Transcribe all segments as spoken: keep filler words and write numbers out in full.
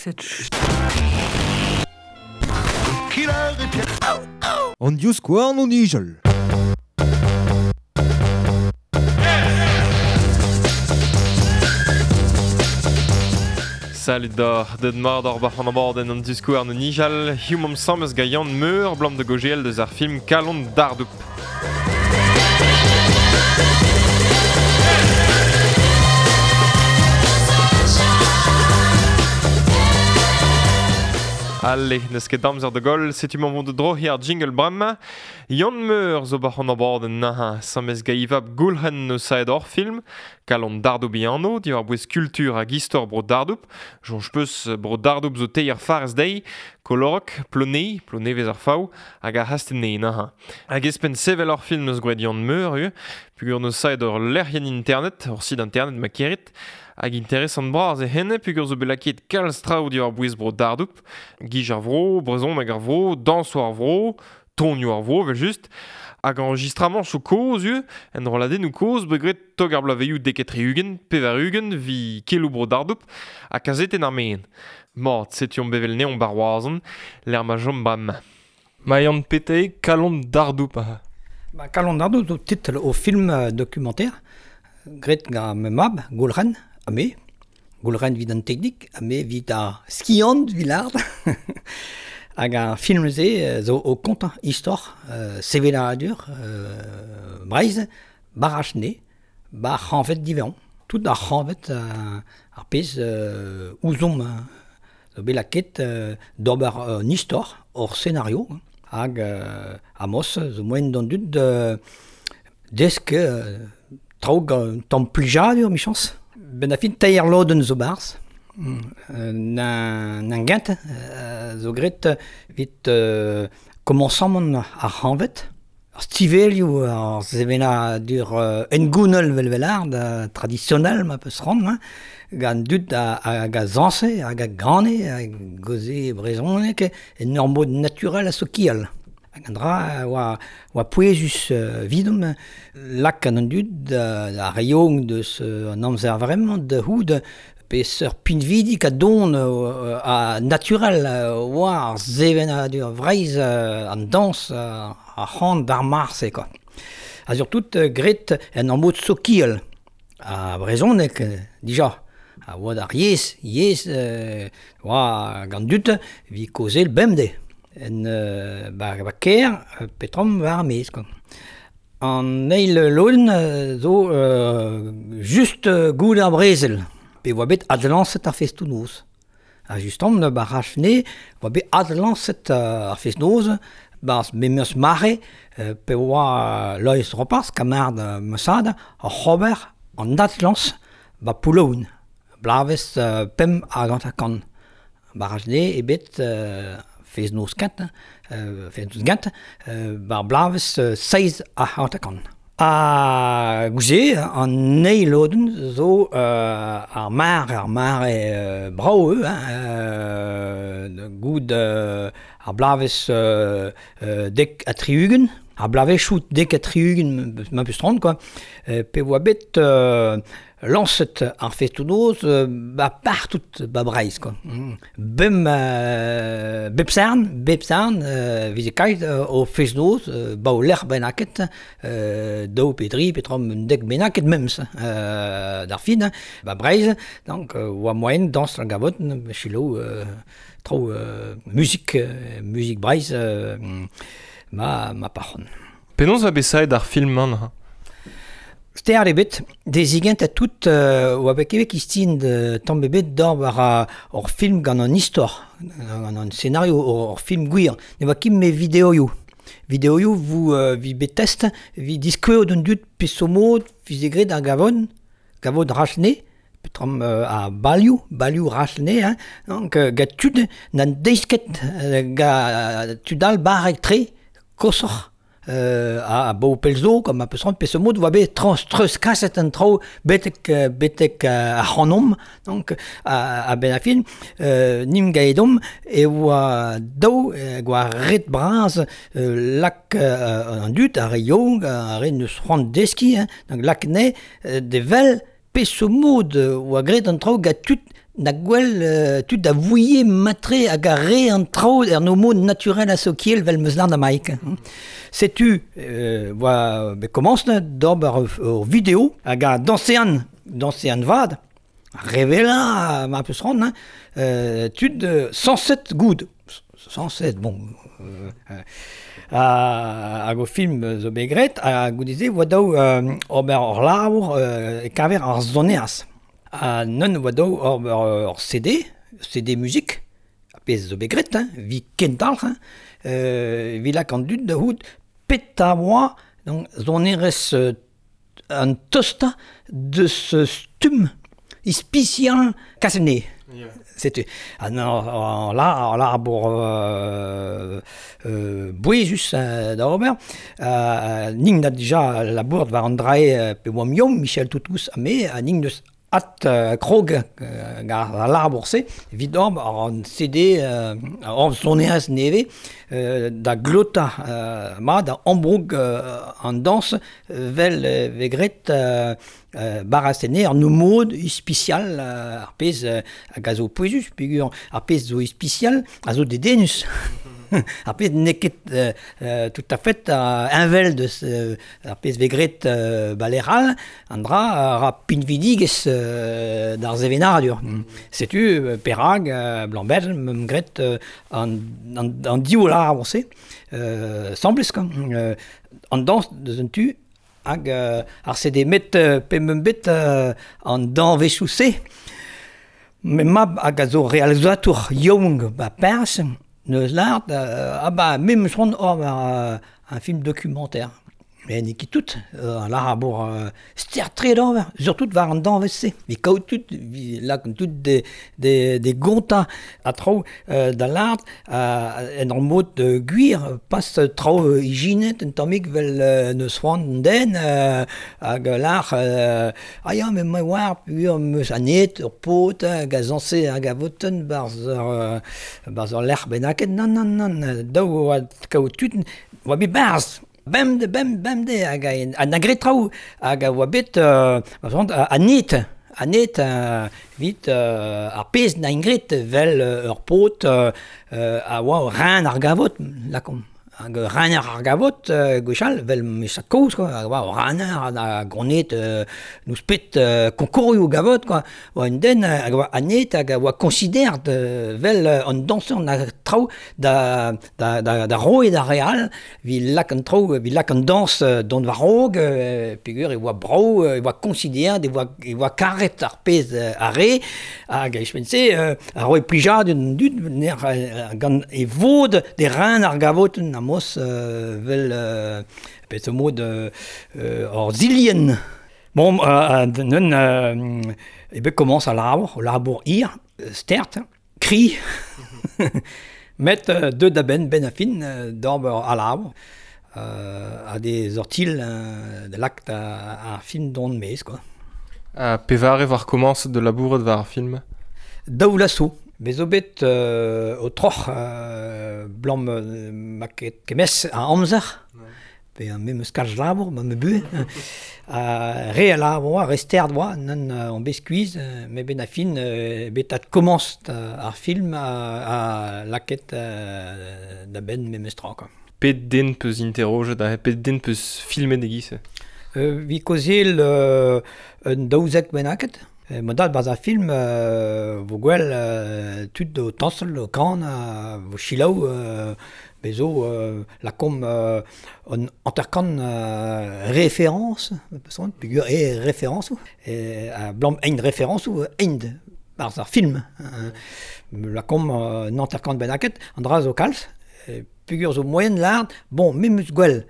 Cette An divskouarn o nijal. Salut d'or, deud mat ar bac'h an abadenn an divskouarn o nijal, hiziv omp asambles gant Yann Meur, blam de gogel deus ar film Kalon Dardoup. Allez, n'eus ket amzer da goll, setu mañ vont de dro ar jingle bremañ. Yann Meur zo bac'h an abadenn naha, asambles gant Ivab Goulc'hen eus saet hor film, Kalon Dardoup e anv, diwar bouez kultur hag istor bro Dardoup. Soñj peus bro Dardoup zo teir farz dezhi, Kolorok, Plone, Plonevez ar Faou, hag ar C'hastell-Nevez naha. Hag espen sevel hor film eus gwraet Yann Meur, eo, pugur neus saet hor lec'hienn internet, hor sit internet ma kerit, hag interesant bras e henne, pugur zo bet lakaet kalz traoù diwar bouez bro Dardoup, gij ar vro, brezhoneg hag ar vro, dañsoù ar vro, tonioù ar vro, vel just, hag enregistramant sou kozh eo, en rolladennoù kozh bet graet tog ar bloavezhioù dek ha tri-ugent, pevar-ugent, vi keloù bro Dardoup, ha kazetenn ar Meen. Mat, setu omp bevel neomp bar Roazhon, lec'h ma chom bremañ. Ma Yann Pété, Kalon Dardoup. Ba, Kalon Dardoup zo titl o film euh, documentaire, graet gant ma mab, Goulc'hen, ha me. Goulc'hen evit an teknik, ha me evit ar skiant vilard. Hag ar film-se zo o kontañ istor, euh, sevenadur, euh, Breizh, bar Achne, bar c'hanvet divezhañ. Tout ar c'hanvet euh, ar pezh euh, ouzomp zo bet lakaet euh, d'ober un istor, hor scenario, hag euh, amos zo moaien d'an dud euh, desk euh, traoù gant tamm plijadur, michañs. Ben a fin teir lodenn zo barzh. Nan nan gent euh, zo graet evit euh, komañsamant ar c'hanvet. Ar stivelioù ar sevenadur euh, engounel vel velard, euh, traditionnel ma peus ran, hein, gant dud hag a zañse, hag a gane, hag goze brezhoneg, en ur mod naturel ha sokial. Hag an dra oa, oa pouezus euh, vidomp, lak an dud euh, ar reoñ deus euh, an amzer vremañ da c'hoût peseurt pinvidik a don euh, a naturel euh, oa ar sevenadur Vreizh euh, an dañs euh, ar c'han d'ar marse quoi. Ha surtout euh, graet en ur mod sokial. A brezhoneg euh, dija. A oa d'ar yezh, yezh euh, oa gant dud evit kaozeal bemdez. En euh, ba, ba kêr, petrom war ar maez quoi. An eil lodenn euh, zo euh, just euh, goude ar brezel. Pe oa bet adlañset ar festoù-noz. Ha justement, ba Rachne, oa bet adlañset ar fest-noz, barzh memes mare, euh, pe oa Loeiz Roparz, kamarad euh, Mossad, ar c'hober an adlañs ba Poullaouen, blavezh euh, pemp hag hanter-kant. Ba Rachne eo bet euh, fest-noz kent, euh, fest-noz gent, euh, bar blavezh euh, seizh ha hanter-kant. Ha gouze, an eil lodenn zo euh, ar mar, ar mar eo euh, brav eo, hein, euh, goud euh, ar blavezh euh, euh, dek ha tri-ugent, ar blavezhioù dek ha tri-ugent ma peus tront, quoi, euh, pe oa bet euh, lañset ar festoù-noz euh, ba partout ba Breizh, quoi. Mm. Bem euh, bep sarn, bep sarn, euh, vize kaet euh, o fest-noz, euh, ba o lec'h bennaket, euh, daou pe dri, pe trom un dek bennaket memes, euh, d'ar fin, ba Breizh, donc euh, oa moaien dañs ar gavot, selaou euh, traoù euh, muzik, euh, muzik Breizh, euh, ma, ma parc'hon. Penaos va bet saet ar film-mañ neuze? Ster ebet, dezigent a tout euh, oa bet kevek istin de tamm ebet d'or war ur film gant an istor, gant an scenario, ur film gwir. Ne oa ket me videoioù. Videoioù vous euh, vi bet test, vi diskouezho d'an dud peseurt mod vize graet ar gavon, gavon Rachne, petram euh, a balioù, balioù Rachne, hein, donc euh, gant tud n'an deiz ket euh, ga tud all barrek tre, koshoc'h. Euh, a, a bo pelzo, comme a peus peseurt mod oa bet trans treuz kaset an traoù betek, euh, betek euh, ar c'hanomp, donc a, a ben a fin, euh, nim gaedomp e oa daou, e oa ret bras euh, lak euh, an dud, ar re yaouank, ar re neus c'hoant deskiñ, hein, donc lak ne, euh, de vel peseurt mod oa graet an traoù gant tud Na gwell euh, tud da vouie matre hag a re an traoù er no mod naturel a sokiel vel meus lan da maik. Setu, euh, oa, be komañs d'ober ur, ur vidéo hag a dansean, dansean vad, revela ma peus ran, hein, euh, tud euh, cent sept goud. cent sept, bon... Euh, euh, hag o film zo bet graet, ha goude-se oa daou euh, ober ur labour euh, e-keñver ar sonerezh. Ha neun oa daou ober ur C D, C D musique, a pezh zo bet graet, hein, vi kentalc'h, hein, euh, vi lak an dud da c'hout peta oa, donc sonerezh euh, an tosta deus stumm ispisial kaset. Yeah. Setu. Ha non, la, la bour euh, euh, bouezus euh, da ober. Euh, ning na dija la bourd war an drae euh, pe oam yom, Michel Toutous ha me, ha ning deus at euh, krog euh, gar ar labour-se, evit ober an C D euh, or sonerezh neve euh, da glota euh, ma da ambroug euh, an dans vel euh, vegret euh, euh, barasene ar no mod ispisial euh, ar pezh euh, hag a zo pouezus peogwir ar pezh zo ispisial a zo dedennus. Ar pezh n'eo ket euh, euh, tout à fait euh, invel deus euh, ar pezh vegret euh, baleral an dra a ra pinvidigez euh, d'ar sevenadur. Mm. Setu euh, perag euh, blanc-bel meum gret euh, an, an, an div labour-se euh, semblez quoi. Euh, an dañs deus un tu hag euh, ar C D met euh, pe meum bet euh, an dañvezhioù-se. Me mab hag a zo realizatour yaouank ba Pers, neus lart, euh, ah ba me meus c'hoant ober euh, un film documentaire. Mais n'eo ket tout, euh, labour euh, ster-tre d'ober, surtout war an dañvez-se. Vi kaout tout, vi lak tout des, des, des gontañ a traoù euh, da lart, euh, en ur mod euh, gwir, pas traoù euh, ijinet, un tammig vel euh, neus c'hoant an den, euh, hag lar, euh, ah ya, me ma oar, peogwir meus anet, ur paotr, hag a zañse hag a votenn barzh ur, euh, barzh ur lec'h bennaket, nann, nann, nann, daou oa kaout tud, oa bet barzh. Bemde, bem, bemde, hag a, a na gret traoù, hag a oa bet, euh, a net, a net, euh, vit, euh, ar pezh na ingret vel euh, ur paotr, euh, a oa ren ar gavot, lakomp. Hag rener ar gavot, euh, gwechall, vel meus a kaoz, quoi, hag oa rener a gronet euh, nous pet euh, konkourioù gavot, quoi. Oa un den hag oa anet hag a oa considert euh, vel euh, an dañser na traoù da, da, da, da roe da real, vi lak an traoù, vi lak an dañs euh, dont war raog, euh, peogwir e oa brav, e oa considert, e oa, e oa karet ar pezh euh, a re, hag e pense euh, a roe plijadur an dud, ner, euh, gant e vod de ren ar gavot na mos euh, vel euh, pet o mod euh, euh, ur zilien. Bon, euh, neun euh, e bet komañs a labour, labour hir, stert, kri, met euh, deut da benn, ben a fin, euh, d'ober a labour, euh, a des ortil euh, de lakt a, a film don mez, quoi. A pevare war komañs de labouret war ar film? Daou laso. Bez zo bet euh, o troc'h euh, blam euh, ma ket kemez a amzer, pe an memes kalz labour, ma me bu, a re a labour oa, re sterd oa, nan euh, an bet skuizh, euh, me ben a fin euh, bet at komañs ar film a, a laket euh, da benn memes tra, quoi. Pet den peus interrojet, ha pet den peus filmet e-giz? Euh, vi kaozeal euh, un daouzek bennaket. Ma dad barzh ar film euh, vo gwell euh, tud o tañsal, o kan, euh, vo selaou, euh, bezo euh, lakomp euh, an hanter-kant euh, référence, peogwir e référence, e a blam ein référence ou ein barzh ar film. Euh, lakomp euh, an hanter-kant bennaket, an dra zo kalz, e, peogwir zo moyen lard, bon, me meus gwell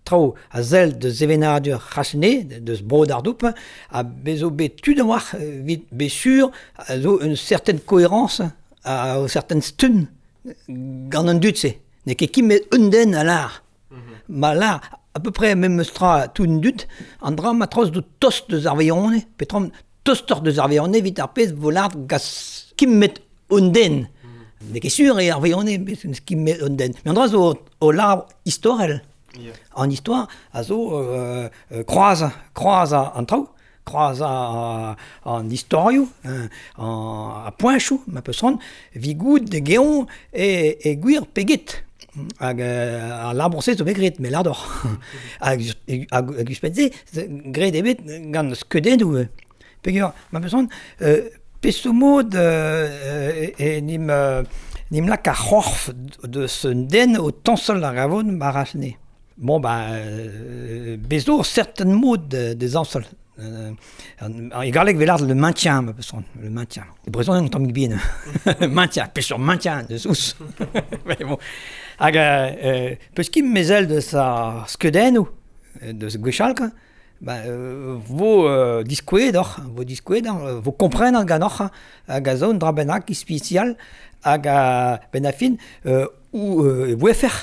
traoù a sell deus sevenadur c'hasne, deus bro d'ar doup, a bezo bet tud a-walc'h, evit bet sur, a zo une certaine cohérence, a o certaine stun gant an dud-se. N'eo ket kimet un den a lar. Ma lar, à peu près memes tra tout un dud, an dra ma troz do tost deus ar veillone, petrom tostor deus ar veillone evit ar pezh vo lard gas kimet un den. N'eo ket sur e ar veillone, kimet un den. Mais an dra zo o lar istorel. Yeah. An histoire a zo euh, euh, kroaz, kroaz an traoù, Kroaz an istorioù, an a poenchoù, ma peus c'hoant, vi goud de geon e, e gwir peget. Hag uh, ar labour-se zo bet graet, me lardoc'h. Hag, hag, hag ouzhpenn-se, graet eo bet gant skeudennoù. Peogwir, ma peus c'hoant, euh, peseurt mod euh, e, nim, euh, nim lak ar c'horf deus un den o tañsal ar gavon barachne. Bon, ben, euh, bezo certain mod de zañsal. Euh, e galleg velard le maintien, ma peus c'hoant, le maintien. E brezhoneg un tammig bihan. Maintien, peseurt maintien, deus ous. Mais bon. Hag euh, peus ket mezel deus ar skeudennoù, deus gwechall, quoi. Ben, euh, vo euh, diskouez doc'h, vo diskouez doc'h, vo kompren ganeoc'h hag a zo un dra bennak ispisial hag a ben a fin euh, ou euh, voefer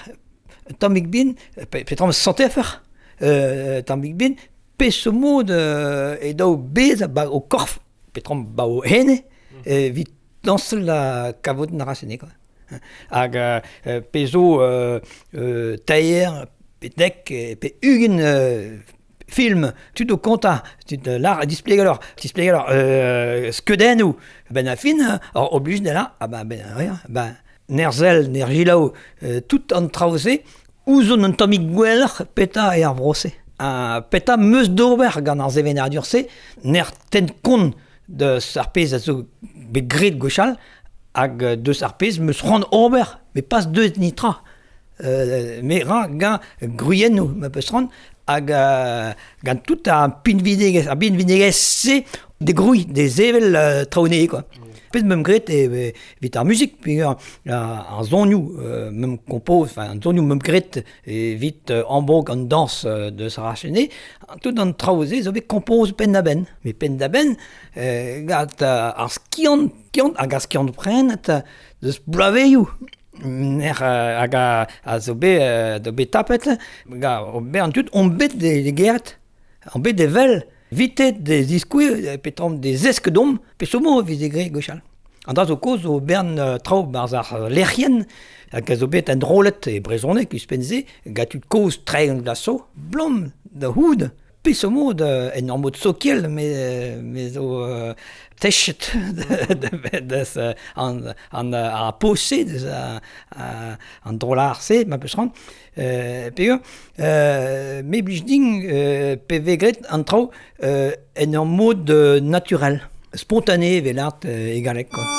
tammig bin, pe, petra santeffer euh, tammig bin, peseurt mod euh, e daou bez ba o korf, petra ba o hene, mm. evit dañsal la kavot na rasene, quoi. Hag euh, pezo euh, euh, taer, pe dek, pe ugent euh, film, tud o kontañ, tud lar displeg alors, displeg alors, euh, skeudennoù, ben a fin, alors oblige de là, ah ben, ben rien, ben, nerzel, nergilaou, euh, tout an traoù-se, ouzon un tammig gwelloc'h peta e ar vro-se. Ha peta meus d'ober gant ar sevenadur-se, ner ten kont deus ar pezh a zo bet graet gwechall, hag deus ar pezh meus c'hoant ober, met pas deus nitra. Euh, me ra gant gwriennoù, ma peus c'hoant, hag euh, gant tout ar pinvidegezh, ar pinvidegezh-se de grouilh, de sevel euh, traoù-nez, quoi. Mm. Pezh meum graet e evit ar muzik, peogwir ar zonioù euh, meum kompoz, enfin an zonioù meum graet evit euh, ambroug an dañs euh, de Saracene, tout an traoù-se zo bet kompoz penn-da-benn. Met penn-da-benn, euh, gant ar skiant, skiant, hag ar skiant prenet deus bloavezhioù. Ner hag a, a zo bet, euh, zo bet tapet, ga o bet an tud on bet de, de geret, on bet de vel, vitet de ziskouez, petra de zesk dom, peseurt mod e veze graet gwechall. An dra zo kozh o bern uh, traoù barzh ar lec'hienn, hag a zo bet an drolet e brezhoneg ouzhpenn-se, gant tud kozh tregont vloaz zo, blom da c'houd, peseurt mod en ur mod sokial, me, me zo euh, techet deus an, an, ar poz-se, deus an drolar-se, ma peus c'hoant. Euh, peogwir, euh, me blij din euh, pe vez graet an traoù euh, en ur mod euh, naturel, spontané evel art euh, e galleg, quoi.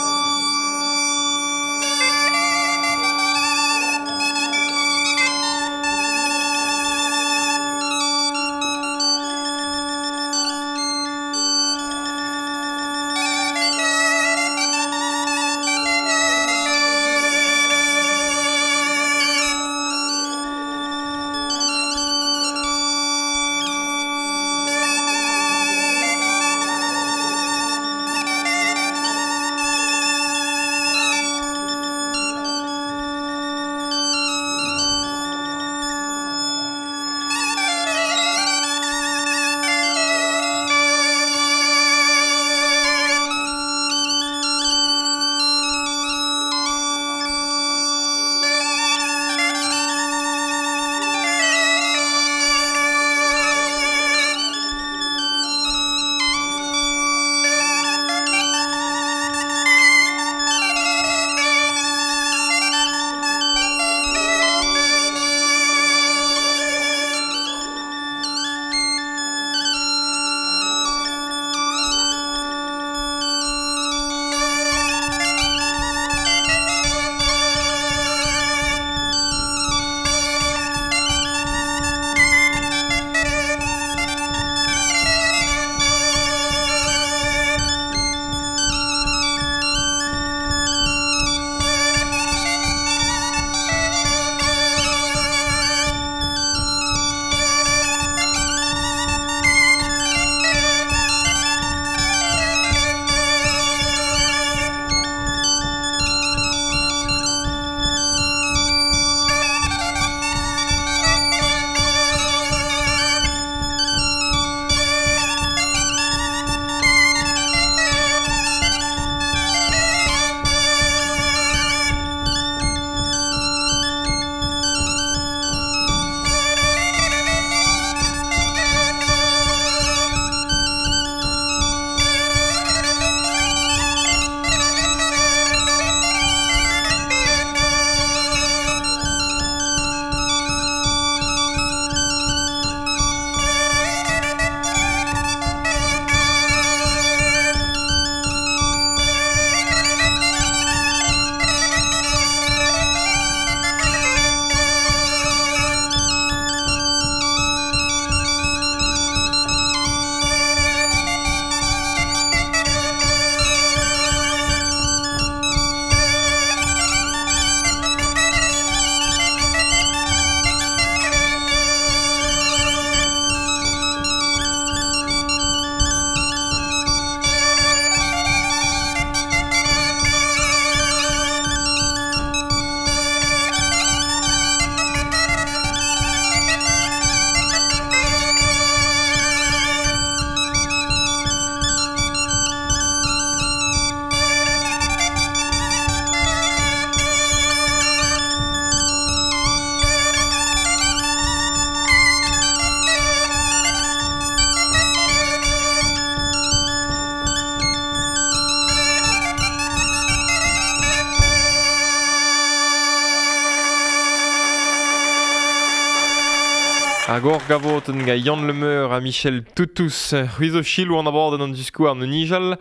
Hag ur gavotenn ga Yann Lemeur ha Michel Toutous c'hwi zo chilou an abadenn an diskouarn o nijal.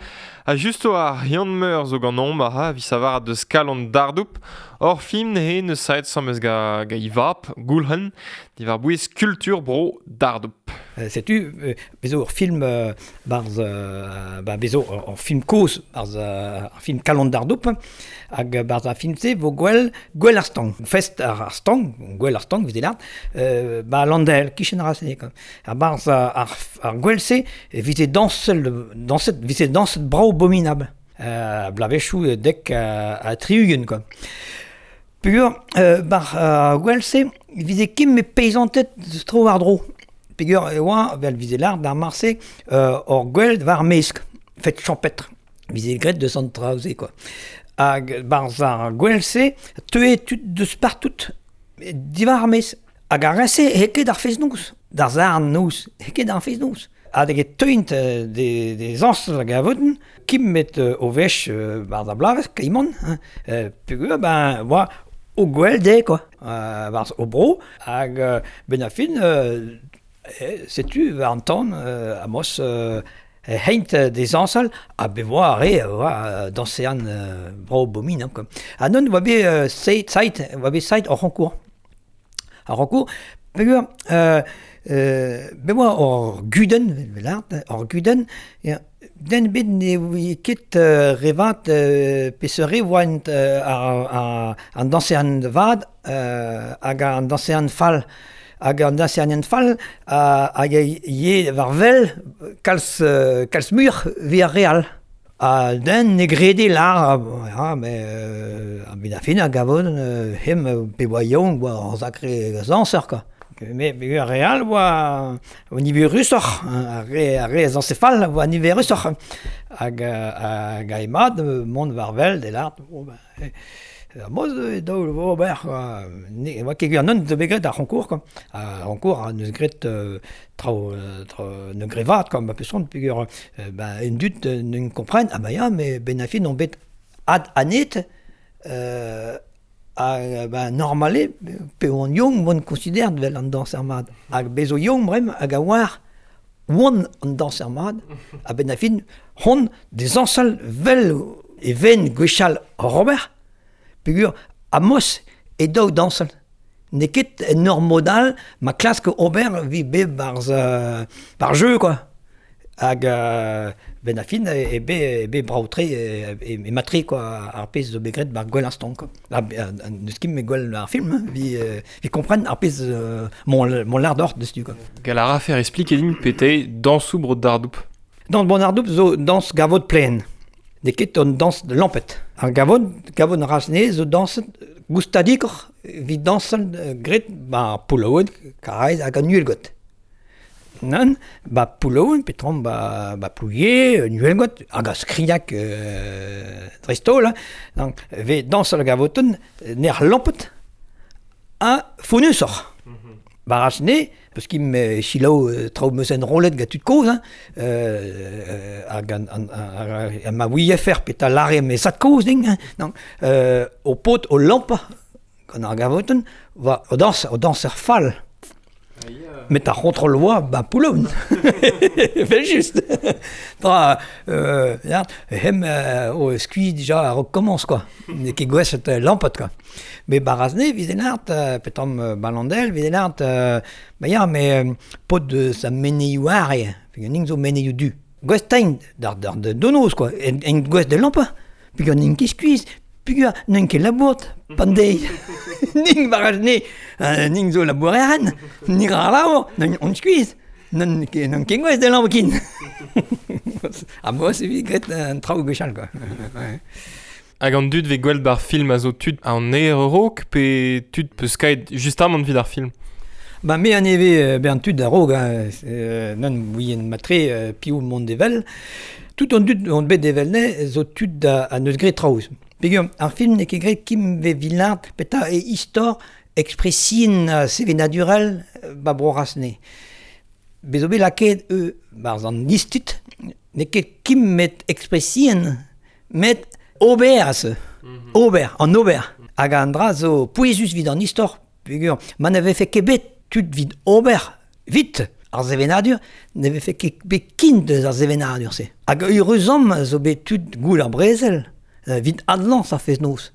Ha justo ar Yann Meur zo gant omp ha vi savar deus kalon dardoup. Ur film nehe neus saet samez ga, ga ivap, goulhen, diwar bouez kultur bro dardoup. Euh, setu, euh, bezo ur film euh, barz, euh, ba bezo ur, ur film kozh barz euh, ar film kalon dardoup, hag barz ar film-se vo gwell, gwell ar stang, fest ar, ar stang, gwell ar stang, vez lart, euh, ba landel, kichen ar rasne, quoi. Ar barz ar, ar, ar gwell-se, vize dansel, danset, vize danset brao abominable. Euh, blavechou dek a, a tri-ugent, quoi. Peogwir, euh, bar ar gwell-se, vize ket me peizantet tro war dro. Peogwir e oa, vel vize lart d'ar marse, euh, ur gwell war mesk, fet champêtre. Vize gret de sant traoze, quoi. Hag barz ar gwell-se, teue tud deus partout, diwar ar maez. Hag ar re-se, he ket ar fez-noz. D'ar zarn noz, he ket ar fez-noz. Hag e teuint de, de zañs hag a voten, kim met o vech barz ar blavez, kaimon, hein, peogwir, ben, oa o gwell de, quoi, euh, barz o bro, hag euh, ben a fin, euh, setu war an tan, euh, amos, euh, heint des zañsal, ha be voa ar re, oa dansean euh, brao bomin, hein, quoi. Ha non, oa bet euh, seit, seit, oa bet seit ar c'honkour. Ar c'honkour, peogwir, euh, Euh, be oa ur gudenn, velart, ur gudenn, ya, den bet ne oe ket euh, revat euh, peseurt oant euh, ar, ar, an dansean vad euh, hag an dansean fall. Hag an dansean fall uh, hag ye war vel kalz, euh, kalz mur vi ar real. Ha den ne grede lar, ya, me, euh, a ben a fin a gavon euh, hem pe oa yaouank oa ar sacré dañser, quoi. Mais mais ar real oa o niverusoc'h, ar re ar re a zañse fall oa niverusoc'h. Hag hag a emad mont war vel de lart, bon ben, ar moz e daou vo ober, quoi. Ne oa ket gwir non zo bet graet ar c'honkour, quoi. Ar c'honkour a neus graet euh, traoù traoù ne grevat, quoi, ma peson, peogwir euh, ben en dud n'en kompren, ah ben ya, mais ben a fin on bet ad anet, euh, hag ben normale, pe oan young mon considère vel an dañser mat. Hag bezo young brem hag a oar oan an dañser mat, ha ben a fin hon des zañsal vel e ven gwechall Robert, peogwir amos e daou dañsal. N'eo ket en ur mod all ma klask ober vi bet barz, euh, bar jeu, quoi. Hag euh, ben a fin e be, e be brao-tre e, e, e matre, quoi, ar pezh zo bet graet bar gwell ar stank, quoi. Ha, neus ket me gwell ar film, hein, vi, euh, vi kompren ar pezh euh, mon, mon lard d'or deus-tu, quoi. Gall a rafer expliquer din pete dañsoù bro dardoup. Dans bon ardoup zo dañs gavot plen. N'eo ket on dañs lampet. Ar gavot, gavot rasne zo dañs goustadikoc'h vi dañsal graet ba poullaouen, karaez hag an uhelgot. Nann, ba poullaouen, petrom ba, ba plouie, uhelgot, hag a skriak euh, dreist-holl, hein. Donc, ve dañsal gavotenn ner lampet ha founusoc'h. Ba rasne, peus kim euh, chilaou euh, traoù meus enrollet ga tud kozh, hein, euh, hag an, an, an, an ma ouie fer peta lare me zad kozh din, hein. Donc, euh, o paotr o lampa gant ar gavotenn, va o dañs, o dañser fall. Met ar c'hontrol oa, ba poullaouen. Vel just. Tra, euh, ya, hem euh, o skuizh dija a-raok komañs, quoi. N'eo ket gouezet euh, lampet, quoi. Mais barazne, vize lart, euh, petam euh, balandel, vize lart, euh, ba ya, mais euh, paotr deus a menezioù ar eo, peogwir ning zo menezioù du. Gouest teint d'ar, d'ar de donoz, quoi, en, en gouest de lampa, peogwir n'int ket skuizh, peogwir n'int ket labourt, pan deiz. Ning barazne, euh, ning zo laboureren, ning ar labour, n'on on skuizh, n'on ket n'on ket gouest de lampa kin. Ha moa se vi graet an traoù gwechall, quoi. Ouais. Hag an dud ve gwell bar film a zo tud an aer raok pe tud peus kaet justamant vid ar film. Ba me an eve euh, ben tud a-raok, hein, euh, nann ouien matre euh, piv mont evel. Tout an dud on bet evel ne zo tud a, a neus graet traoù. Peogwir ar film n'eo ket graet kim ve vilart peta e istor expressin uh, sevenadurel ba bro rasne. Bez zo bet lakaet eu barz an istit, n'eo ket kim met expressin, met ober a se. Ober, an ober. Hag an dra zo pouezus vid an istor, peogwir ma ne vefe ket bet tud vid ober, Vit ar sevenadur ne vefe ket bet kin deus ar sevenadur-se. Hag euruzom zo bet tud goul ar brezel, vit adlañs ar fest-noz.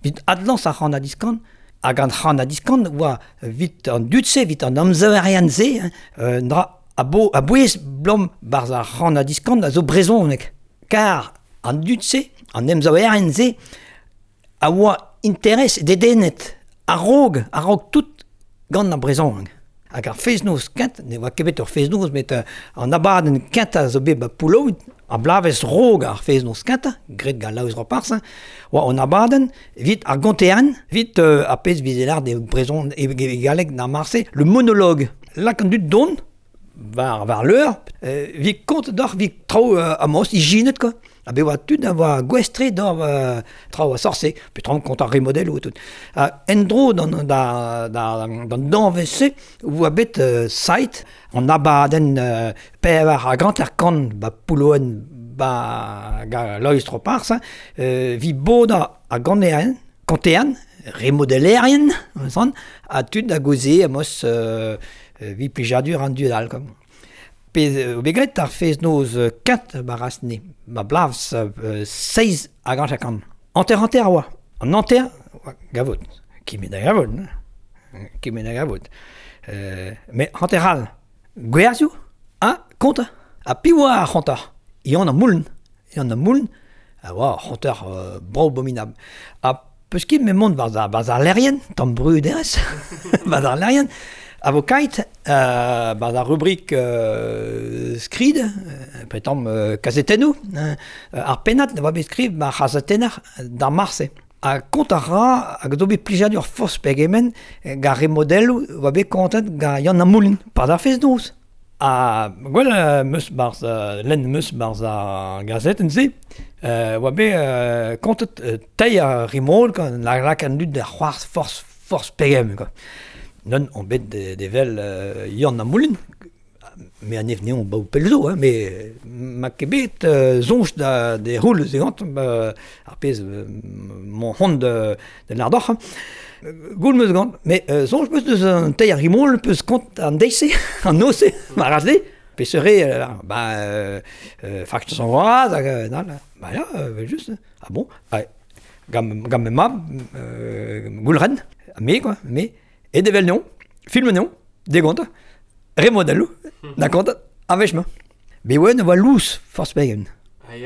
Vit adlañs ar c'han a diskan, hag an c'han a diskan oa vit an dud-se, vit an amzaverian-se, euh, dra a, bo, a bouez blom barz ar c'han a diskan a zo brezhoneg. Kar an dud-se, an emzaverian-se, a oa interes dedennet, a-raog, a-raog tout gant ar brezhoneg. Hag ar fest-noz kent, ne oa ket bet ur fest-noz, met uh, an abadenn kentañ zo bet ba Poullaouen, ar blavez rog ar fest-noz kentañ, graet gant Laoz Roparz, oa an abadenn vit ar gonterenn, vit uh, ar pezh vizelar de brezhon e, e galleg d'ar marse, le monologue. Lak an dud don, war, war l'heure, euh, vit kont d'or, vit traoù euh, amos, ijinet quoi. A be oa tud a oa gwestre d'or euh, traoù a sorse, pe traoù kont ar remodel ou tout. A endro d'an da, da, d'an danvez-se, oa bet euh, sait an abadenn euh, pevar a gant ar kant ba Poullaouen ba ga Loeiz Roparz, euh, vi boda a ganean, kantean, remodelerien, an, a tud a goze amos euh, vi plijadur an dud all, quoi. Pe o bet ar fest-noz kent barasne, ma blavs euh, seiz a gant chakant. Anter anter a oa. An anter, oa gavot. Ki met da gavot, ki met da gavot. Euh, met anter all, gwerzioù, ha konta. Ha piv oa ar c'hontar. Ion an mouln. Ion an mouln, a oa ar c'hontar euh, brao abominab. Ha peus ket me mont barz ar, barz ar lerien, tamm bruderez, barz ar lerien, a vo kait, euh, barz ar rubrik euh, skrid, euh, pretamp euh, kazetennoù, hein, ar pennad ne oa bet skriv ma c'hazetenner d'ar marse. Ha kont a ra hag zo bet plijadur forzh pegement gant remodelloù oa bet kontet gant Yann an Moulin, par ar fest-noz. Ha gwell euh, meus barz, euh, lenn meus barz ar gazetenn-se, euh, oa bet euh, kontet euh, teir ar rimol gant la lak an dud da c'hoarzh forzh forzh pegement quoi. Non, on bet de, de vel euh, Yann an Moulin, me an ev neon ba pelzo, hein, mais ma ket bet euh, soñj da de roul ze gant euh, ar pezh euh, mon hont de, de l'ardoc'h. Goul meus gant, mais euh, soñj meus deus an teir rimol peus kont an deise, an nose, ma razle, pe seure, euh, ba, euh, euh, fakt son vraz, hag, euh, nan, ba ya, euh, juste, ah bon, ah, gant, gant me mab, euh, goulren, me quoi, me, e devel neon, film neon, degont, remodelloù, da kont, a-wech ma. Be oa oa louz, forzh pegen.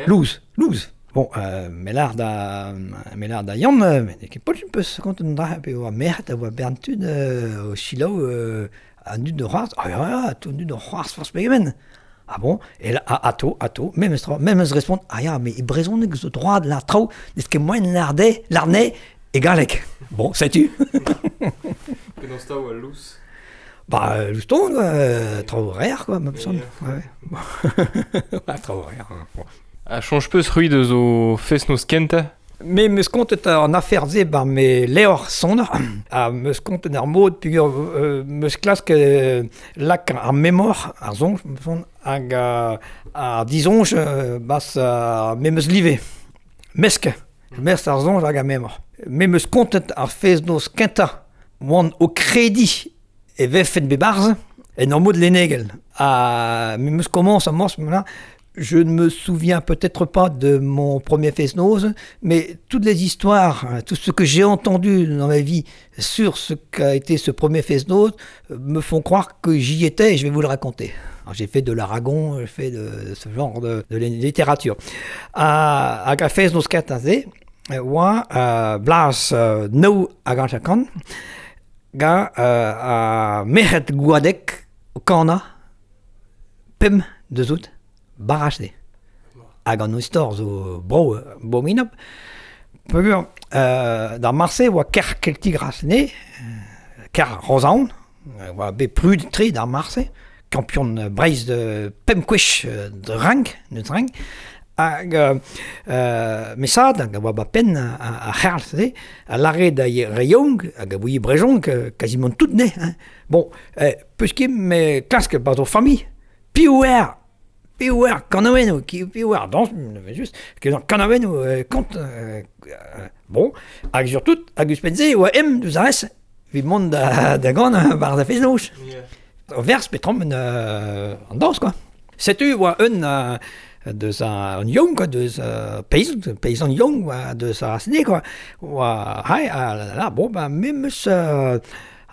Louz, louz. Bon, euh, melar da, melar da Yann, met ket potl peus kont an dra, pe oa merc'hed a oa bern tud euh, o selaou euh, an dud de c'hoarzh, ah ya, ya, tout an dud de c'hoarzh forzh pegen. Ah bon, et là, ato, ato, même tra, même se respond, ah ya, mais e brezhoneg zo droad la traoù, n'eus ket moaien l'arde, l'arne e galleg. Bon, sais-tu? Penaos ta oa louz? Ba, louz ton, quoi, euh, traoù rêr, quoi, ma peson. Ouais. Ouais, traoù rêr. Bon. A soñj peus c'hwi deus o fest-noz kentañ? Me meus kontet an afer-se bar me levr sonner, ha meus kontet ar mod peogwir euh, meus klask euh, lak ar memor, ar soñj, me son, hag euh, ar disoñj euh, bas euh, me meus live. Mesk, mesk ar soñj hag ar memor. Me meus kontet ar fest-noz kentañ oan o krediñ e vefen bebarz en ur mod lennegel. Ha me meus komañs a-mañs, je ne me souviens peut-être pas de mon premier fest-noz, mais toutes les histoires, tout ce que j'ai entendu dans ma vie sur ce qu'a été ce premier fest-noz me font croire que j'y étais et je vais vous le raconter. Alors, j'ai fait de l'Aragon, j'ai fait de, de ce genre de, de littérature. Ha, hag a fest-noz kentañ-se, oa euh, blas euh, nou hag an chakant, gant euh, a merc'hed gwadek o kana pemp deus out baraj-se. Hag an istor zo bro abominab. Peogwir euh, d'ar marse oa ker keltig rasne, ker Rozaon, oa bet prud tre d'ar marse, kampion Breizh de pemp kwech de rank, neus rank, hag euh, mesad, hag a oa ba penn a, a c'herl, se, a lare da reyoung, hag a voie brejong, quasiment tout ne. Hein. Bon, eh, peus ket me klask ba zo famille, piv er, piv er kanaouennoù, piv er dans, juste, kanaouennoù, euh, kont, euh, bon, hag surtout, hag ouzhpenn-se, oa em deus ar res, evit mont da, da gant bar da fest-noz. Yeah. Vers petrom euh, an dañs quoi. Setu oa un euh, deus an young quoi, deus euh, paysan, paysan young oa deus ar sne quoi. Oa hai ah là là bon ben me meus euh,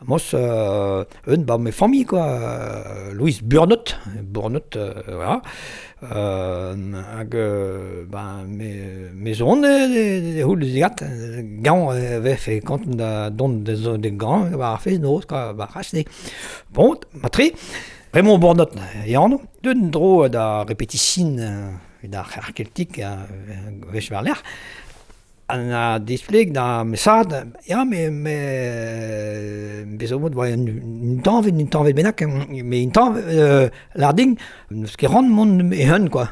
mos euh, un ba me famille quoi, euh, Louise Burnot, Burnot euh, voilà. Euh, hag euh, ben me me zon de houl zigat gant vef e kant da dont de zo de gant ba ar fez noz quoi ba rachne. Bon, matre Raymond Burnot e anv, d'un dro da répétition da ar keltik vech war l'air. An a displeg da mesad, ya me me bezo mod oa un, un tañvet, un tañvet bennak, mais un tañvet euh, larding, neus ket ran mont e hun quoi.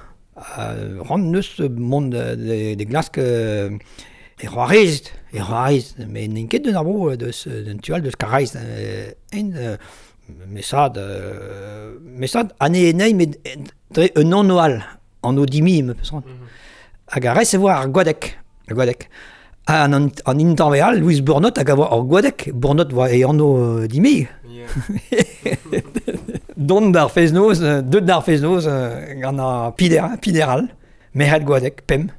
Euh, ran neus mont de, de glask euh, e c'hoarez, e c'hoarez, mais n'int ket d'un arbo deus d'un tual deus karaiz, euh, en euh, mesad, euh, mesad ane enei met dre un annoal, an odimi me peus ran. Hag a res e voa ar gwadek. Ar gwadek. An, an, an intañveal, Louise Burnot hag a voa ar gwadek. Burnot voa e anv euh, dimi. Yeah. Dont d'ar fez-noz, deut d'ar fez-noz euh, gant ar pider, pideral. Merc'hed gwadek, pem.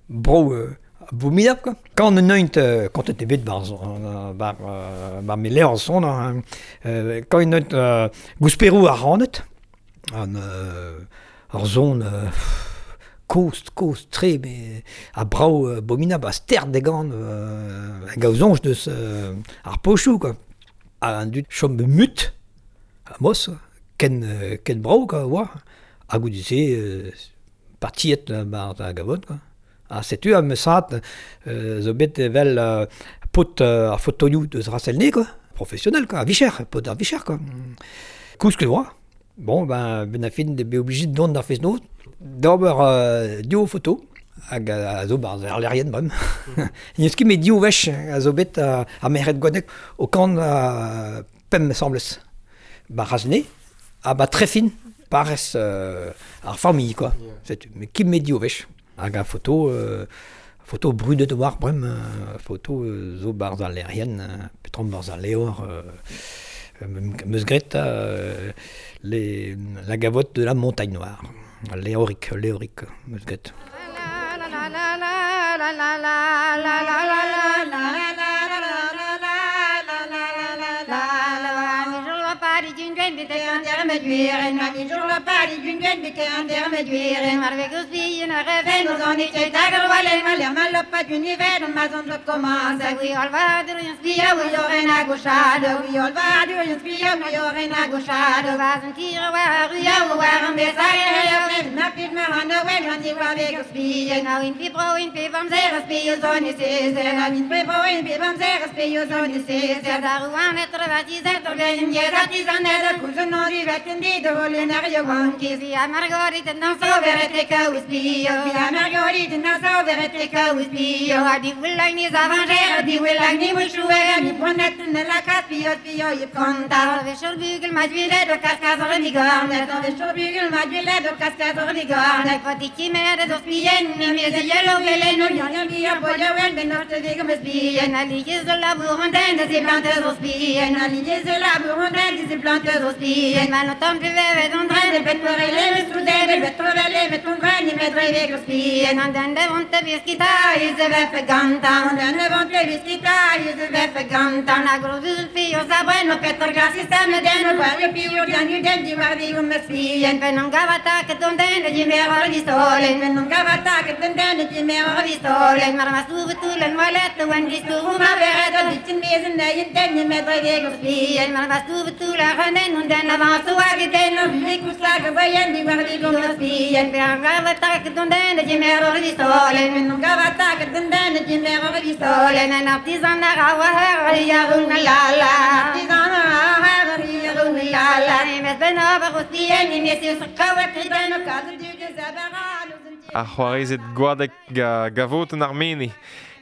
Bro, euh, abominable quoi. Quand on neuint, euh, quand était bet bar, euh, bar, euh, bar me levr son, hein, euh, quand on neuint euh, gousperou ar ranet, an euh, ar zon euh, koz, koz, tre, mais a brao euh, abominable, a ster de gant, euh, hag a zonj deus euh, ar pochou quoi. A an dud chom mut, a mos, ken, euh, ken brao quoi, oa, hag goude-se euh, partiet euh, bar da gavot quoi. Ha setu a mesat euh, zo bet evel euh, pot euh, ar fotoioù deus Rasselne quoi, professionnel quoi, a vicher, pot ar vicher quoi. Kousk oa. Bon ben ben a fin de be obligé de dont d'ar fez-noz d'ober euh, dio foto hag a, a zo bar ar lerien brem. N'eus ket met dio wech a zo bet a, a merc'hed gwadek o kant a pemp semblez. Ba Rasne, a ba trefin parez euh, ar famille quoi. Yeah. Setu, mais ket met dio wech. Hag a foto, euh, foto brudet war brem, euh, foto euh, zo barz al lerien, euh, petrom barz al leor, euh, meus gret euh, les, la gavotte de la montagne noire. Léoric, léoric, meus gret. La la la la la la la la la la la. Ar c'hoarezed gwadek ga gavot an armene.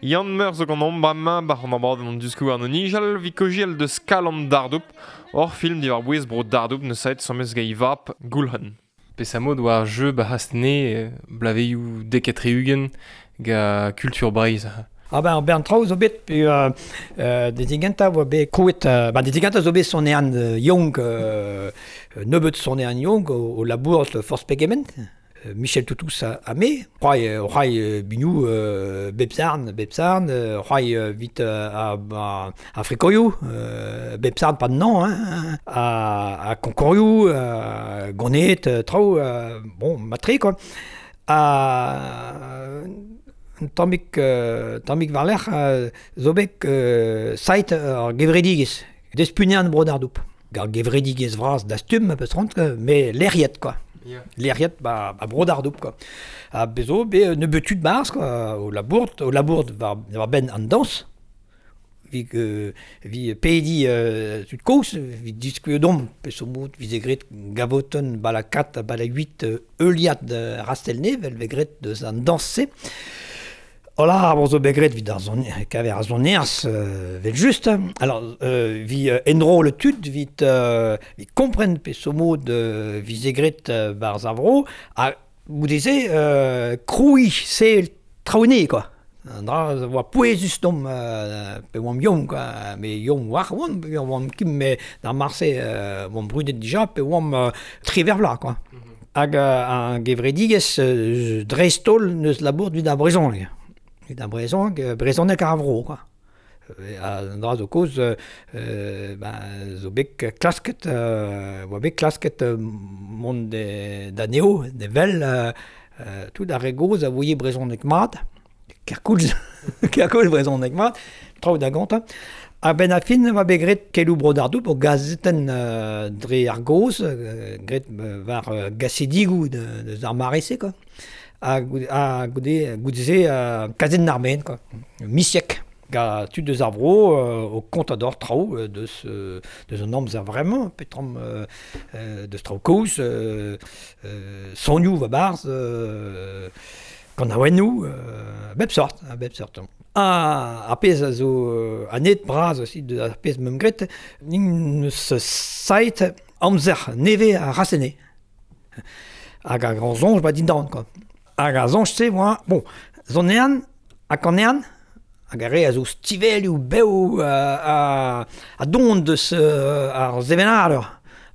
Yann Meur zo gant omp bremañ bar an abadenn an diskoù an nijal vi kojiel deus Kalon Dardoup hor film diwar bouez bro Dardoup neus aet samez ga ivap Goulc'hen. Pesa mod war jeu ba hastene blaveioù dek etre-ugent ga kultur Breizh. Ah ben, ben traoù zo bet, pe euh, euh, dezigenta oa bet krouet, euh, ben dezigenta zo bet sonean euh, young, euh, nebeut sonean young o, o labour force pegement, Michel Toutous a, a me, c'hoai, c'hoai bignou euh, bepsarn, bepsarn, c'hoai vit a, a, a frikoioù, euh, bepsarn pas de nom, hein, a, a konkorioù, a gonet, traoù, euh, bon, matre, quoi. A... Tammig, euh, tammig war-lerc'h euh, zo bet euh, sait ar gevredigez, despunean bro d'ar doup. Ar gevredigez vras dastum, peus ront, mais lec'hiet, quoi. Yeah. Lec'hiet ba, ba bro d'ar doup, quoi. Ha bezo, be nebeut tud barz, quoi, o labourt, o labourt war, war ben an dañs, vi, euh, vi pedi euh, tud koz, vi diskuet dom, peus o mod, vi ze gret gavoton bala kat, bala huit euh, euliad euh, rastelne, vel ve gret deus an dañs-se. Hola, bon zo bet gret vid ar zon, kaver ar zonerz euh, vel just. Alors, euh, vi euh, enro le tud, vit, euh, vi kompren pe so mod euh, vi ze gret euh, barz ar vro, ha goudeze euh, kroui se traoune, quoi. An dra oa pouezus dom euh, pe oamp yom, quoi. Me yom war oan, pe oamp kim me d'ar marse euh, oamp brudet dija, pe oamp euh, triver vla, quoi. Mm-hmm. Hag euh, an gevredigez euh, dreist-holl neus labour vid ar brezhoneg. Evit ar brezhoneg, brezhoneg ar vro, quoi. An dra zo koz, euh, ben, zo bet klasket, euh, oa bet klasket euh, mont de, da neo, de vel, euh, tout ar re goz a voie brezhoneg mat, kerkoulz, kerkoulz brezhoneg mat, traoù da gantañ. A ben a fin oa bet gret kelou bro d'ar doup o gazetenn euh, dre ar goz, euh, gret euh, war euh, gasedigou de, de ar mare-se, quoi. A goude, a goude, goude-se euh, kazenn ar men, quoi. Misiek. Ga tud deus ar vro euh, o kontador traoù euh, deus, euh, deus an amzer vraiment, petram euh, euh, deus traoù koz, euh, euh, sonioù va barz, euh, kanaouennoù, euh, bep sort, a bep sort. A, ar pezh a zo euh, an et bras aussi de ar pezh meum gret, nin neus sait amzer neve a rasene. Hag ar grand zonj ba dindan, quoi. Hag ar zonj-se, oa, bon, zonean, hag an ean, hag ar re a zo stivelioù bev euh, a, a don deus euh, ar zevenador.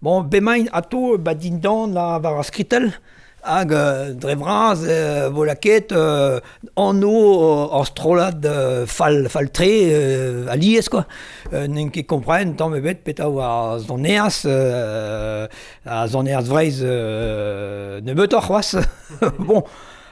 Bon, bemain ato ba dindan la war ar skritel, hag euh, dre vras euh, vo laket euh, anno euh, ar strollad euh, fall, fall tre euh, alies, quoi. Euh, n'en ket kompren tamm ebet petra oa ar zoneaz, euh, ar zoneaz vreiz euh, nebeutoc'h c'hoazh. Bon,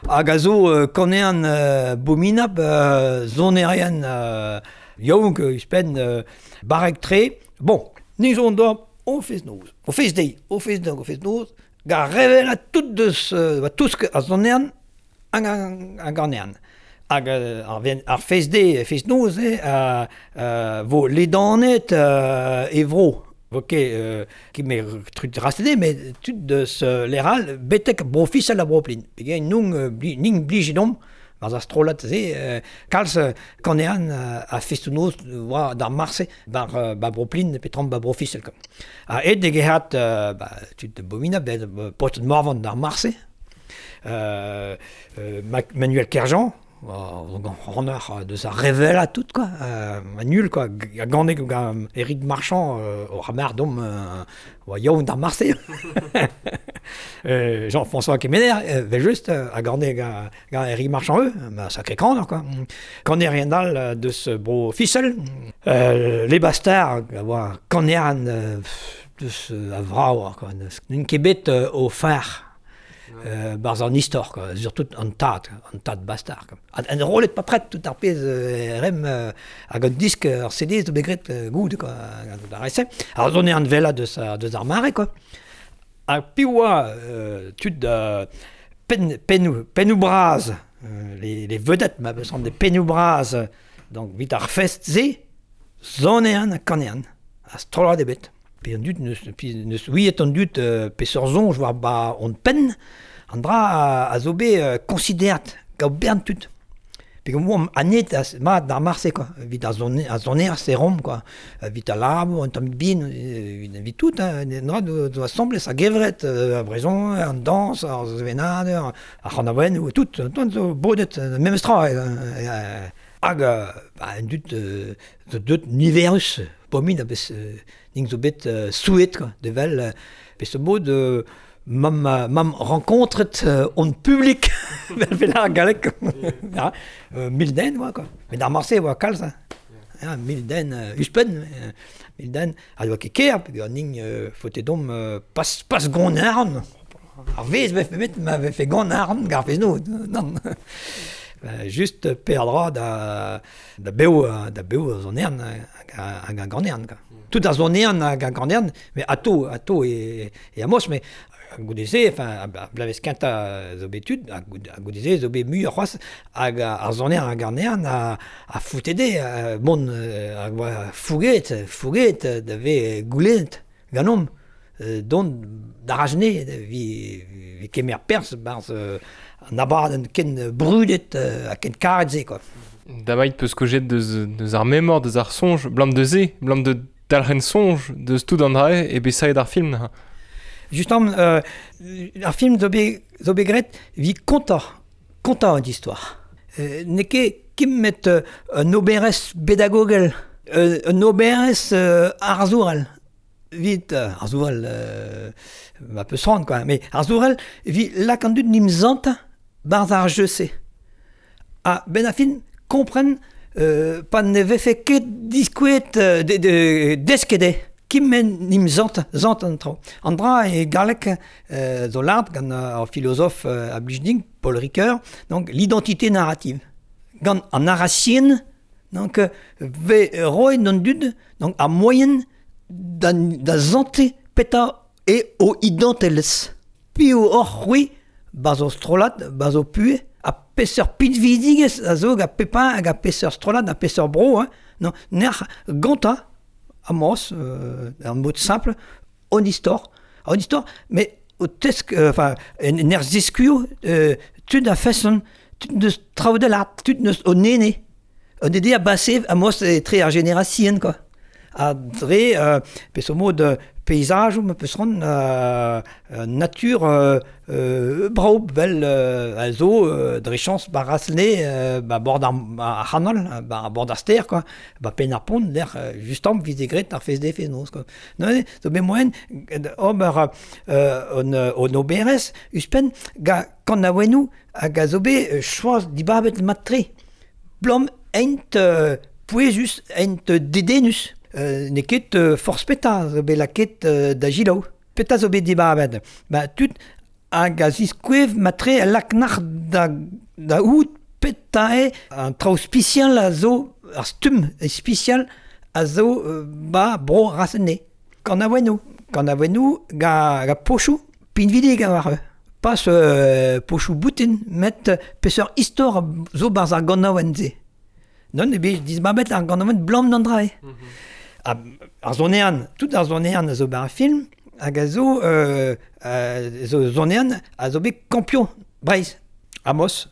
hag a zo euh, kanean euh, bominab euh, zonerien euh, yaouank euh, ouzhpenn euh, barrek tre. Bon, ni zo d'or o fez noz. O fez deiz, o fez deiz, o fez noz, ga revela tout deus, euh, tous a zonean hag hag an ean. Hag euh, ar, ven, ar fez deiz, fez noz, eh, euh, euh, vo ledanet euh, e vro. Vo ket, euh, ket me trut rastede, met tud deus euh, leral betek bro fisel a bro plin. Pegein nung euh, bli, ning blijedom, barz ar strollad se, euh, kalz euh, kanean euh, a festoù-noz oa d'ar marse bar, euh, ba bro plin petram ba bro fisel, quoi. Ha ed degehat euh, ba, tud de bomina, bet euh, paotr Morvan d'ar marse, euh, euh, Manuel Kerjean, oh, deus ar revela tout, quoi. Euh, nul, quoi. A ganek gant Eric Marchand, euh, o ramar dom, euh, oa yaouank d'ar marse. euh, Jean-François Kemener, euh, vel just, a ganek gant, gant Eric Marchand eux, ma sacré kaner, quoi. Kaner rien all deus bro Fisel, euh, les bastards, a oa kaneran euh, deus a vrav, quoi. N'en ket bet euh, o phar. Euh, barz an istor, quoi. Surtout an tad, an tad bastard, quoi. An, an rolet pa pret tout ar pezh euh, rem euh, hag an disk ar C D zo bet gret euh, goud, quoi, gant ar rese. Ar zone an vela deus, deus ar mare, quoi. Hag piv oa euh, tud euh, pen, pennou, pennou braz, euh, les, les vedettes, ma besoin des pennou braz, donc vit ar fest ze, zone an ha kanean, a strollad ebet. Pe an dud neus, pi neus ouiet an dud euh, peseurt zonj war ba on penn, an dra a, a zo bet euh, konsiderat gant bern tud. Pe gant oamp anet a, mat d'ar marse, quoi. Vit ar zone, ar zoner se rom, quoi. Vit a labour, an tamm bin, vit, vit tout, hein. An dra do, do asambles a gevret, euh, a brezon, an dañs, ar zevenadur, ar c'hanaouenn, tout, tout zo bodet, memes tra, euh, euh, Hag, ba, un dud, euh, zo deut niverus, pomin a bez, euh, ning zo bet euh, souet, quoi, de vel, euh, pe ce mod, euh, mam, mam rencontret euh, on public, vel vel ar galek, ja, euh, mil den, oa, quoi. Met ar marse, oa kalz, hein. Ja, mil den, euh, uspen, euh, mil den, a doa ket ker, peogwir ning euh, faote dom euh, pas, pas gant arn. Ar vez vefe met ma vefe gant arn gar fez no, non. Euh, just perdra da, da beo, da beo a zon ern hag a gant ern, quoi. Tout a zon ern hag a gant ern, mais ato, ato e, e amos, mais goudeze, enfin, a blavez kenta zo bet tud, a goudeze zo bet mu ar c'hoaz, hag ar zon ern hag an ern a, a foutede, a, mont a oa fouget, fouget, da ve goulennet ganomp, dont d'arajne, vi, vi kemer perz, barz an abadenn ken brudet ha ken karet se, quoi. Damait peus kojet deus, deus ar memor, deus ar sonj, blam deus e, blam de dalc'hen sonj, deus tout an drae e besaet ar film. Justement, euh, ar film zo bet, zo bet graet vi kontañ, kontañ an histoire. Euh, n'eo ket kemmet euh, un oberez pedagogel, euh, un oberez euh, arzourel. Vit, euh, arzourel, euh, ma peus c'hoant, quoi, mais arzourel, vi lak an dud nim zanta barz ar jeu-se. Ha ben a fin kompren euh, pa ne vefe ket diskouet euh, de, de, deskede. Kim nim zant, zant an traoù. An dra e galleg euh, zo lart gant ar philosophe euh, a blij Paul Ricoeur, donc l'identité narrative. Gant an narration, donc ve roet an dud, donc a moyen da, da zante peta e o identelez. Pi o hor c'hwi, bazo strollad, bazo pue, a peseurt pinvidigez a zo hag a pepa hag a peseurt strollad, a peseurt bro, hein, non, ner ganta, Amos, euh, un mot simple, on histoire, on histoire, mais au tesk, enfin, euh, en er ziskuo, euh, tud a feson, tud neus traoù de l'art, tud neus o nene, on ede a basse Amos e tre ar génération, quoi. A dre, euh, peseurt mod paysage, ma peus ran euh, nature euh, euh, brao, bel euh, a zo, euh, dre chans ba rasne, euh, ba bord ar, ar c'hanol, ba bord ar ster, quoi, ba pen ar pont, l'er justement vize gret ar fez de fez noz, quoi. Non, zo bet moen, ober euh, on, on oberez, uspen, ga kan a wenou, hag a zo bet choaz dibabet matre. Blom ent euh, pouezus, ent dedenus. Euh, n'eo ket euh, forzh peta zo bet lakaet euh, da gilaou. Peta zo bet dibabet. Ba tud hag a ziskouev matre a laknac'h da, da out peta eo an traoù spesial a zo, ar stumm spesial a zo euh, ba bro rasene. Kan a wenou. Kan a wenou ga, ga pochoù pinvidig a war. Pas euh, pochoù boutin, met peseurt istor zo barz ar ganaouenn se. Non, e bet dibabet ar ganaouenn blam d'an drae. Mm-hmm. A, ar zonean, tout ar zonean a zo bet ar film, hag a zo, euh, euh, zo zonean a zo bet kampion Breizh, Amos,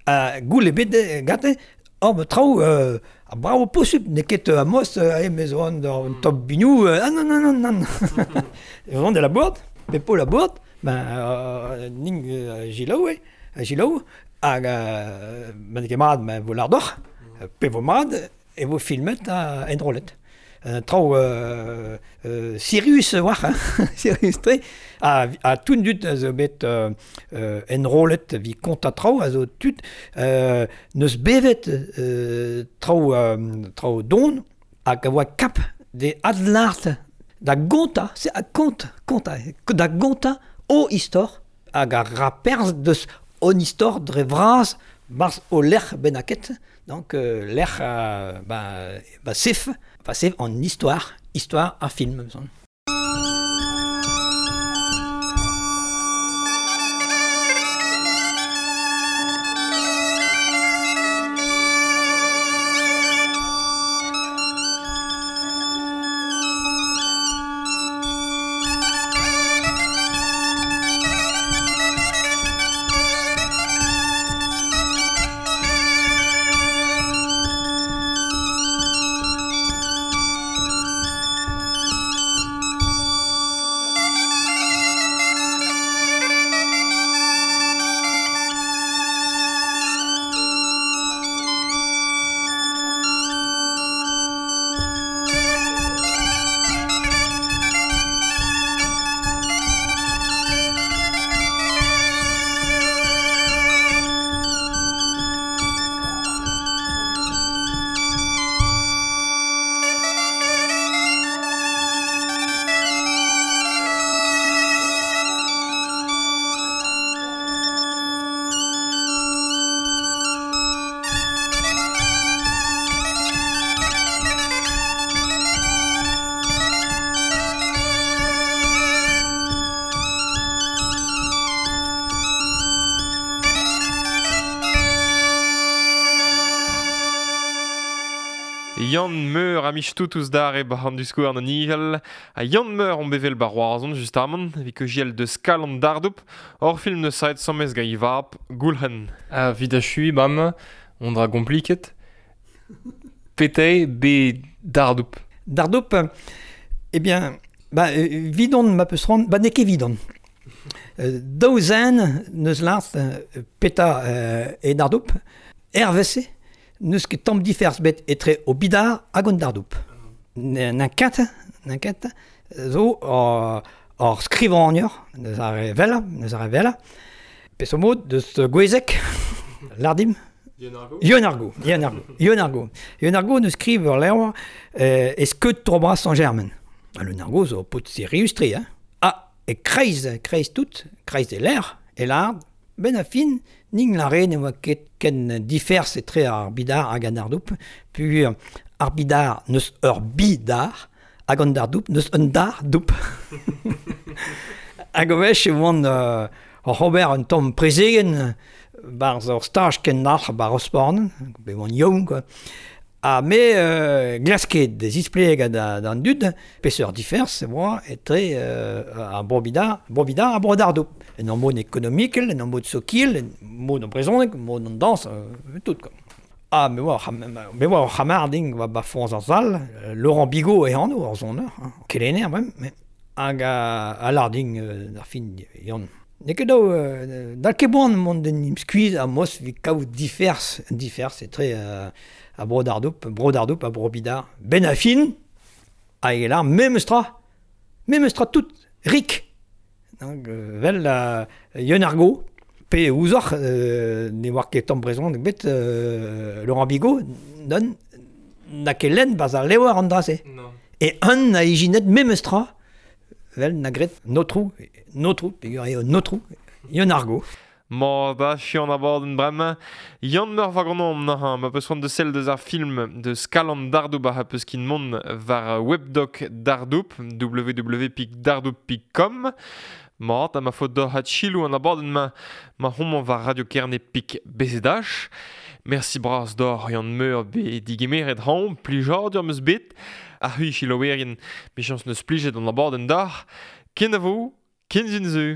a goul e bet gante, hor be traoù, euh, a bravo posubl, n'eo ket Amos, euh, me zo an un top bignou, euh, ah non, non, non, non, non. de la bourde, pepo la bourde, ben, euh, ning euh, gilaou, eh, gilaou, hag, euh, ben ket mat, ben vo lardoc'h, pe vo mat, e vo filmet a enrollet. Un traoù euh, euh, sirius war, hein, sirius tre, a, a tout dud a zo bet euh, euh, enrollet vi kont a traoù, a zo tud euh, neus bevet euh, traoù, euh, traoù don, hag a oa kap de adlart da gonta, c'est a kont, konta, da gonta o istor, hag a raperz deus on istor dre vras barz o lec'h bennaket, donc euh, lec'h euh, ba, ba sef, ba sef en histoire, histoire a film, me semble. Yann Meur a mich tout ouz dar e bar an diskouer an nijel. A Yann Meur on bevel bar oazon just amon, evit ke giel deus Kalon Dardoup, hor film neus saet samez ga ivap, Goulhen. A vid a chui bam, on dra kompliket. Pete be Dardoup. Dardoup, eh bien, ba, vidon ma peus ran, ba n'eo ket vidon. Euh, daou zen neus lart peta euh, e Dardoup, R V C, neus ket tamm diferz bet etre o bidar hag an Dardoup. N'an ket, n'an ket, zo ur, ur skrivagner, neus ar re vella, neus ar re vella, peseurt mod deus Gouezeg, lardim. Yeun Argo, Yeun Argo, Yeun Argo. Yeun Argo neus skriv ur levr euh, e skeud tro bras Saint-Germain. Yeun Argo zo paotr sirius-tre, hein. Ah, e kreiz, kreiz tout, kreiz e l'air, e lard, ben a fin, ning la re ne oa ket ken diferz etre ar bidar hag an Dardoup, puis ar bidar neus ur bidar, hag an Dardoup neus un dar doup. Hag o wech e oan euh, ur ober un tamm prezegen barz ur staj ken nac'h bar Rosporn, be oan yaouank, quoi. Ha me euh, glasket de zispleg da, d'an dud, peseurt diferz e oa etre euh, ar bro-bidar, bro-bidar ha bro-Dardoup. En an mod ekonomikel, en an mod sokil, en mod an brezhoneg, mod an dañs, euh, tout, quoi. Ah, me oa, me oa ur c'hamarding oa ba foñs ar sal, Laurent Bigot e anv ar soner, hein, kelenner, même, mais hag a, a larding euh, ar fin yann. N'eo ket daou, euh, dal ket boan mont d'en im skuizh a mos evit kaout diferz, diferz etre euh, a bro Dardoup, bro Dardoup ha bro Bidar. Ben a fin, hag e lar memes tra, memes tra tout, rik. Donc, euh, vel euh, Yeun Argo, pe ouzoc'h, euh, ne oar ket tamm brezhoneg bet, euh, Laurent Bigot, don, n'a ket lenn baz ar levr an dra-se. Non. E un a ijinet memes tra, vel na gret notrou, notrou, peogwir eo notrou, Yeun Argo. Ma da chian abadenn bremañ. Yann Meur war gant omp neuze, ma peus c'hoant de sell deus ar film deus Kalon Dardoup a peus kin mont war webdoc Dardoup, w w w pik dardoup pik com. Mat, ha ma faot d'oc'h at chilou an abadenn ma, ma homañ war Radio Kerne pik B Z H. Merci bras d'oc'h Yann Meur be digemeret hañ, plijadur am eus bet. Ar c'hwi chilouerien, michañs neus plijet an abadenn d'oc'h. Kenavo, ken zun zu.